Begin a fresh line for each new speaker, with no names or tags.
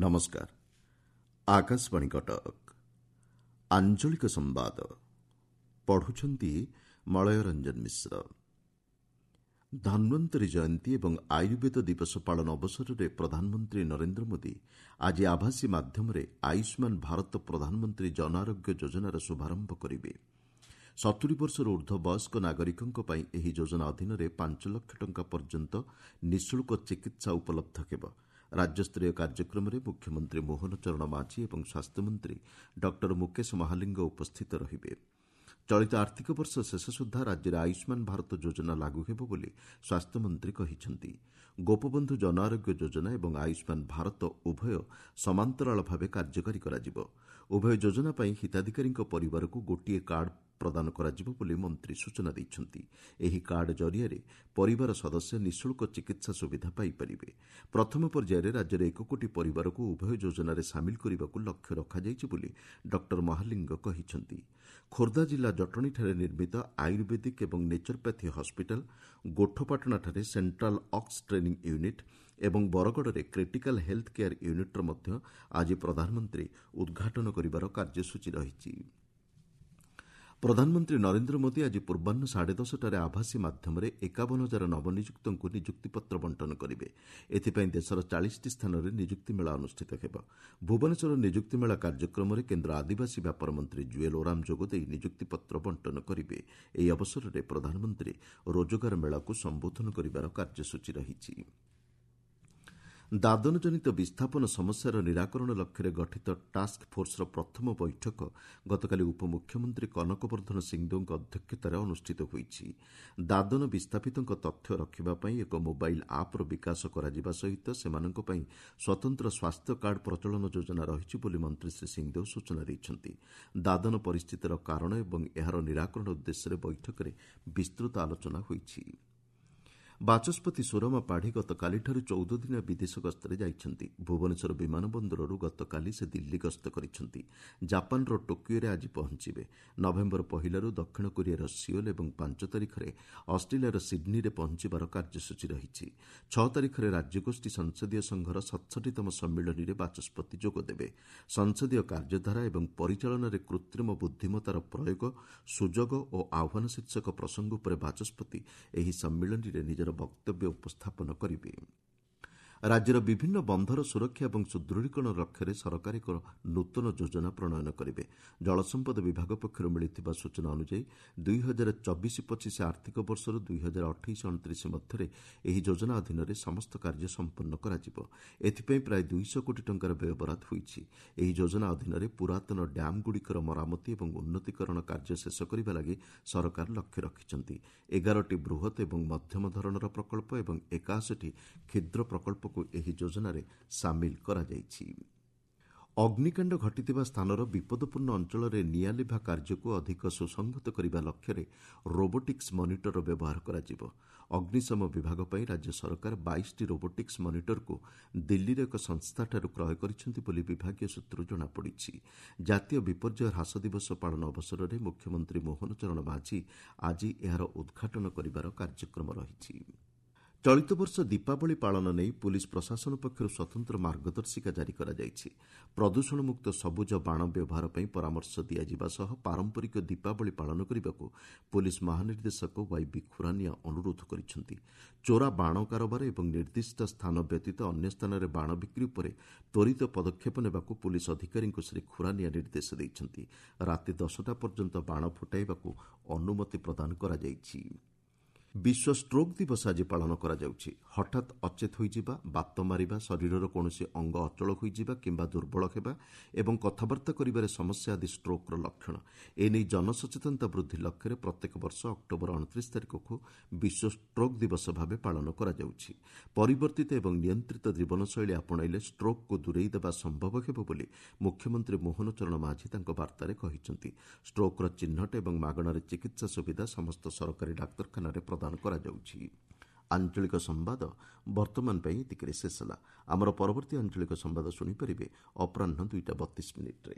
ନମସ୍କାର, ଆକାଶବାଣୀ କଟକ। ଆଞ୍ଚଳିକ ସମ୍ବାଦ ପଢ଼ୁଛନ୍ତି ମଳୟ ରଞ୍ଜନ ମିଶ୍ର। ଧନ୍ୱନ୍ତରୀ ଜୟନ୍ତୀ ଏବଂ ଆୟୁର୍ବେଦ ଦିବସ ପାଳନ ଅବସରରେ ପ୍ରଧାନମନ୍ତ୍ରୀ ନରେନ୍ଦ୍ର ମୋଦି ଆଜି ଆଭାସୀ ମାଧ୍ୟମରେ ଆୟୁଷ୍ମାନ ଭାରତ ପ୍ରଧାନମନ୍ତ୍ରୀ ଜନଆରୋଗ୍ୟ ଯୋଜନାର ଶୁଭାରମ୍ଭ କରିବେ। 70 ବର୍ଷରୁ ଉର୍ଦ୍ଧ୍ୱ ବୟସ୍କ ନାଗରିକଙ୍କ ପାଇଁ ଏହି ଯୋଜନା ଅଧୀନରେ 5 ଲକ୍ଷ ଟଙ୍କା ପର୍ଯ୍ୟନ୍ତ ନିଃଶୁଳ୍କ ଚିକିତ୍ସା ଉପଲବ୍ଧ ହେବ। ରାଜ୍ୟସ୍ତରୀୟ କାର୍ଯ୍ୟକ୍ରମରେ ମୁଖ୍ୟମନ୍ତ୍ରୀ ମୋହନ ଚରଣ ମାଝୀ ଏବଂ ସ୍ୱାସ୍ଥ୍ୟମନ୍ତ୍ରୀ ଡକ୍ଟର ମୁକେଶ ମହାଲିଙ୍ଗ ଉପସ୍ଥିତ ରହିବେ। ଚଳିତ ଆର୍ଥିକ ବର୍ଷ ଶେଷ ସୁଦ୍ଧା ରାଜ୍ୟରେ ଆୟୁଷ୍ମାନ ଭାରତ ଯୋଜନା ଲାଗୁ ହେବ ବୋଲି ସ୍ୱାସ୍ଥ୍ୟମନ୍ତ୍ରୀ କହିଛନ୍ତି। ଗୋପବନ୍ଧୁ ଜନଆରୋଗ୍ୟ ଯୋଜନା ଏବଂ ଆୟୁଷ୍ମାନ ଭାରତ ଉଭୟ ସମାନ୍ତରାଳ ଭାବେ କାର୍ଯ୍ୟକାରୀ କରାଯିବ। ଉଭୟ ଯୋଜନା ପାଇଁ ହିତାଧିକାରୀଙ୍କ ପରିବାରକୁ ଗୋଟିଏ କାର୍ଡ ପ୍ରଦାନ କରାଯିବ ବୋଲି ମନ୍ତ୍ରୀ ସୂଚନା ଦେଇଛନ୍ତି। ଏହି କାର୍ଡ ଜରିଆରେ ପରିବାର ସଦସ୍ୟ ନିଃଶୁଳ୍କ ଚିକିତ୍ସା ସୁବିଧା ପାଇପାରିବେ। ପ୍ରଥମ ପର୍ଯ୍ୟାୟରେ ରାଜ୍ୟରେ 1 କୋଟି ପରିବାରକୁ ଉଭୟ ଯୋଜନାରେ ସାମିଲ କରିବାକୁ ଲକ୍ଷ୍ୟ ରଖାଯାଇଛି ବୋଲି ଡକ୍ଟର ମହାଲିଙ୍ଗ କହିଛନ୍ତି। ଖୋର୍ଦ୍ଧା ଜିଲ୍ଲା ଜଟଣୀଠାରେ ନିର୍ମିତ ଆୟୁର୍ବେଦିକ ଏବଂ ନେଚରୋପାଥି ହସ୍ପିଟାଲ, ଗୋଠପାଟଣାଠାରେ ସେଣ୍ଟ୍ରାଲ ଅକ୍ସ ଟ୍ରେନିଂ ୟୁନିଟ୍ ଏବଂ ବରଗଡ଼ରେ କ୍ରିଟିକାଲ ହେଲ୍ଥ କେୟାର ୟୁନିଟ୍ର ମଧ୍ୟ ଆଜି ପ୍ରଧାନମନ୍ତ୍ରୀ ଉଦ୍ଘାଟନ କରିବାର କାର୍ଯ୍ୟସୂଚୀ ରହିଛି। ପ୍ରଧାନମନ୍ତ୍ରୀ ନରେନ୍ଦ୍ର ମୋଦି ଆଜି ପୂର୍ବାହ୍ନ 10:30ଟାରେ ଆଭାସୀ ମାଧ୍ୟମରେ 51,000 ନବନିଯୁକ୍ତଙ୍କୁ ନିଯୁକ୍ତିପତ୍ର ବଣ୍ଟନ କରିବେ। ଏଥିପାଇଁ ଦେଶର 40ଟି ସ୍ଥାନରେ ନିଯୁକ୍ତି ମେଳା ଅନୁଷ୍ଠିତ ହେବ। ଭୁବନେଶ୍ୱର ନିଯୁକ୍ତି ମେଳା କାର୍ଯ୍ୟକ୍ରମରେ କେନ୍ଦ୍ର ଆଦିବାସୀ ବ୍ୟାପାର ମନ୍ତ୍ରୀ ଜୁଏଲ ଓରାମ ଯୋଗଦେଇ ନିଯୁକ୍ତିପତ୍ର ବଣ୍ଟନ କରିବେ। ଏହି ଅବସରରେ ପ୍ରଧାନମନ୍ତ୍ରୀ ରୋଜଗାର ମେଳାକୁ ସମ୍ବୋଧନ କରିବାର କାର୍ଯ୍ୟସୂଚୀ ରହିଛି। ଦାଦନଜନିତ ବିସ୍ଥାପନ ସମସ୍ୟାର ନିରାକରଣ ଲକ୍ଷ୍ୟରେ ଗଠିତ ଟାସ୍କ ଫୋର୍ସର ପ୍ରଥମ ବୈଠକ ଗତକାଲି ଉପମୁଖ୍ୟମନ୍ତ୍ରୀ କନକବର୍ଦ୍ଧନ ସିଂଦେଓଙ୍କ ଅଧ୍ୟକ୍ଷତାରେ ଅନୁଷ୍ଠିତ ହୋଇଛି। ଦାଦନ ବିସ୍ଥାପିତଙ୍କ ତଥ୍ୟ ରଖିବା ପାଇଁ ଏକ ମୋବାଇଲ୍ ଆପ୍ର ବିକାଶ କରାଯିବା ସହିତ ସେମାନଙ୍କ ପାଇଁ ସ୍ୱତନ୍ତ୍ର ସ୍ୱାସ୍ଥ୍ୟ କାର୍ଡ ପ୍ରଚଳନ ଯୋଜନା ରହିଛି ବୋଲି ମନ୍ତ୍ରୀ ଶ୍ରୀ ସିଂଦେଓ ସୂଚନା ଦେଇଛନ୍ତି। ଦାଦନ ପରିସ୍ଥିତିର କାରଣ ଏବଂ ଏହାର ନିରାକରଣ ଉଦ୍ଦେଶ୍ୟରେ ବୈଠକରେ ବିସ୍ତୃତ ଆଲୋଚନା ହୋଇଛି। ବାଚସ୍ପତି ସୁରମା ପାଢ଼ୀ ଗତକାଲିଠାରୁ 14 ଦିନିଆ ବିଦେଶ ଗସ୍ତରେ ଯାଇଛନ୍ତି। ଭୁବନେଶ୍ୱର ବିମାନ ବନ୍ଦରରୁ ଗତକାଲି ସେ ଦିଲ୍ଲୀ ଗସ୍ତ କରିଛନ୍ତି। ଜାପାନର ଟୋକିଓରେ ଆଜି ପହଞ୍ଚିବେ। ନଭେମ୍ବର 1ରୁ ଦକ୍ଷିଣ କୋରିଆର ସିଓଲ ଏବଂ 5 ତାରିଖରେ ଅଷ୍ଟ୍ରେଲିଆର ସିଡ୍ନୀରେ ପହଞ୍ଚିବାର କାର୍ଯ୍ୟସୂଚୀ ରହିଛି। 6 ତାରିଖରେ ରାଜ୍ୟଗୋଷ୍ଠୀ ସଂସଦୀୟ ସଂଘର 67ତମ ସମ୍ମିଳନୀରେ ବାଚସ୍ପତି ଯୋଗଦେବେ। ସଂସଦୀୟ କାର୍ଯ୍ୟଧାରା ଏବଂ ପରିଚାଳନାରେ କୃତ୍ରିମ ବୁଦ୍ଧିମତ୍ତାର ପ୍ରୟୋଗ, ସୁଯୋଗ ଓ ଆହ୍ୱାନ ଶୀର୍ଷକ ପ୍ରସଙ୍ଗ ଉପରେ ବାଚସ୍ପତି ଏହି ସମ୍ମିଳନୀରେ ନିଜର ବକ୍ତବ୍ୟ ଉପସ୍ଥାପନ କରିବେ। ରାଜ୍ୟର ବିଭିନ୍ନ ବନ୍ଧର ସୁରକ୍ଷା ଏବଂ ସୁଦୃଢ଼ୀକରଣ ଲକ୍ଷ୍ୟରେ ସରକାର ଏକ ନୂତନ ଯୋଜନା ପ୍ରଣୟନ କରିବେ। ଜଳସମ୍ପଦ ବିଭାଗ ପକ୍ଷରୁ ମିଳିଥିବା ସୂଚନା ଅନୁଯାୟୀ 2024-25 ଆର୍ଥିକ ବର୍ଷରୁ 2028-29 ମଧ୍ୟରେ ଏହି ଯୋଜନା ଅଧୀନରେ ସମସ୍ତ କାର୍ଯ୍ୟ ସମ୍ପନ୍ନ କରାଯିବ। ଏଥିପାଇଁ ପ୍ରାୟ 200 କୋଟି ଟଙ୍କାର ବ୍ୟୟବରାଦ ହୋଇଛି। ଏହି ଯୋଜନା ଅଧୀନରେ ପୁରାତନ ଡ୍ୟାମ୍ଗୁଡ଼ିକର ମରାମତି ଏବଂ ଉନ୍ନତିକରଣ କାର୍ଯ୍ୟ ଶେଷ କରିବା ଲାଗି ସରକାର ଲକ୍ଷ୍ୟ ରଖିଛନ୍ତି। 11ଟି ବୃହତ୍ ଏବଂ ମଧ୍ୟମ ଧରଣର ପ୍ରକଳ୍ପ ଏବଂ 81ଟି କ୍ଷୁଦ୍ର ପ୍ରକଳ୍ପକୁ ଏହି ଯୋଜନାରେ ସାମିଲ କରାଯାଇଛି। ଅଗ୍ନିକାଣ୍ଡ ଘଟିଥିବା ସ୍ଥାନର ବିପଦପୂର୍ଣ୍ଣ ଅଞ୍ଚଳରେ ନିଆଁ ଲିଭା କାର୍ଯ୍ୟକୁ ଅଧିକ ସୁସଂହତ କରିବା ଲକ୍ଷ୍ୟରେ ରୋବୋଟିକ୍ସ ମନିଟରର ବ୍ୟବହାର କରାଯିବ। ଅଗ୍ନିଶମ ବିଭାଗ ପାଇଁ ରାଜ୍ୟ ସରକାର 22ଟି ରୋବୋଟିକ୍ସ ମନିଟରକୁ ଦିଲ୍ଲୀର ଏକ ସଂସ୍ଥାଠାରୁ କ୍ରୟ କରିଛନ୍ତି ବୋଲି ବିଭାଗୀୟ ସୂତ୍ରରୁ ଜଣାପଡ଼ିଛି। ଜାତୀୟ ବିପର୍ଯ୍ୟୟ ହ୍ରାସ ଦିବସ ପାଳନ ଅବସରରେ ମୁଖ୍ୟମନ୍ତ୍ରୀ ମୋହନ ଚରଣ ମାଝୀ ଆଜି ଏହାର ଉଦ୍ଘାଟନ କରିବାର କାର୍ଯ୍ୟକ୍ରମ ରହିଛି। ଚଳିତ ବର୍ଷ ଦୀପାବଳି ପାଳନ ନେଇ ପୁଲିସ୍ ପ୍ରଶାସନ ପକ୍ଷରୁ ସ୍ୱତନ୍ତ୍ର ମାର୍ଗଦର୍ଶିକା ଜାରି କରାଯାଇଛି। ପ୍ରଦୂଷଣମୁକ୍ତ ସବୁଜ ବାଣ ବ୍ୟବହାର ପାଇଁ ପରାମର୍ଶ ଦିଆଯିବା ସହ ପାରମ୍ପରିକ ଦୀପାବଳି ପାଳନ କରିବାକୁ ପୁଲିସ୍ ମହାନିର୍ଦ୍ଦେଶକ ୱାଇବି ଖୁରାନିଆ ଅନୁରୋଧ କରିଛନ୍ତି। ଚୋରା ବାଣ କାରବାର ଏବଂ ନିର୍ଦ୍ଦିଷ୍ଟ ସ୍ଥାନ ବ୍ୟତୀତ ଅନ୍ୟ ସ୍ଥାନରେ ବାଣ ବିକ୍ରି ଉପରେ ତ୍ୱରିତ ପଦକ୍ଷେପ ନେବାକୁ ପୁଲିସ୍ ଅଧିକାରୀଙ୍କୁ ଶ୍ରୀ ଖୁରାନିଆ ନିର୍ଦ୍ଦେଶ ଦେଇଛନ୍ତି। ରାତି 10ଟା ପର୍ଯ୍ୟନ୍ତ ବାଣ ଫୁଟାଇବାକୁ ଅନୁମତି ପ୍ରଦାନ କରାଯାଇଛି। ବିଶ୍ୱ ଷ୍ଟ୍ରୋକ୍ ଦିବସ ଆଜି ପାଳନ କରାଯାଉଛି। ହଠାତ୍ ଅଚେତ ହୋଇଯିବା, ବାତ ମାରିବା, ଶରୀରର କୌଣସି ଅଙ୍ଗ ଅଚଳ ହୋଇଯିବା କିମ୍ବା ଦୁର୍ବଳ ହେବା ଏବଂ କଥାବାର୍ତ୍ତା କରିବାରେ ସମସ୍ୟା ଆଦି ଷ୍ଟ୍ରୋକ୍ର ଲକ୍ଷଣ। ଏନେଇ ଜନସଚେତନତା ବୃଦ୍ଧି ଲକ୍ଷ୍ୟରେ ପ୍ରତ୍ୟେକ ବର୍ଷ ଅକ୍ଟୋବର 29 ତାରିଖକୁ ବିଶ୍ୱ ଷ୍ଟ୍ରୋକ୍ ଦିବସ ଭାବେ ପାଳନ କରାଯାଉଛି। ପରିବର୍ତ୍ତିତ ଏବଂ ନିୟନ୍ତ୍ରିତ ଜୀବନଶୈଳୀ ଆପଣାଇଲେ ଷ୍ଟ୍ରୋକ୍କୁ ଦୂରେଇ ଦେବା ସମ୍ଭବ ହେବ ବୋଲି ମୁଖ୍ୟମନ୍ତ୍ରୀ ମୋହନ ଚରଣ ମାଝୀ ତାଙ୍କ ବାର୍ତ୍ତାରେ କହିଛନ୍ତି। ଷ୍ଟ୍ରୋକ୍ର ଚିହ୍ନଟ ଏବଂ ମାଗଣାରେ ଚିକିତ୍ସା ସୁବିଧା ସମସ୍ତ ସରକାରୀ ଡାକ୍ତରଖାନାରେ ପ୍ରଦାନ କରାଯାଉଛି। ଆଞ୍ଚଳିକ ସମ୍ବାଦ ବର୍ତ୍ତମାନ ପାଇଁ ଏତିକିରେ ଶେଷ ହେଲା। ଆମର ପରବର୍ତ୍ତୀ ଆଞ୍ଚଳିକ ସମ୍ବାଦ ଶୁଣିପାରିବେ ଅପରାହ୍ନ 2ଟା 32 ମିନିଟ୍ରେ।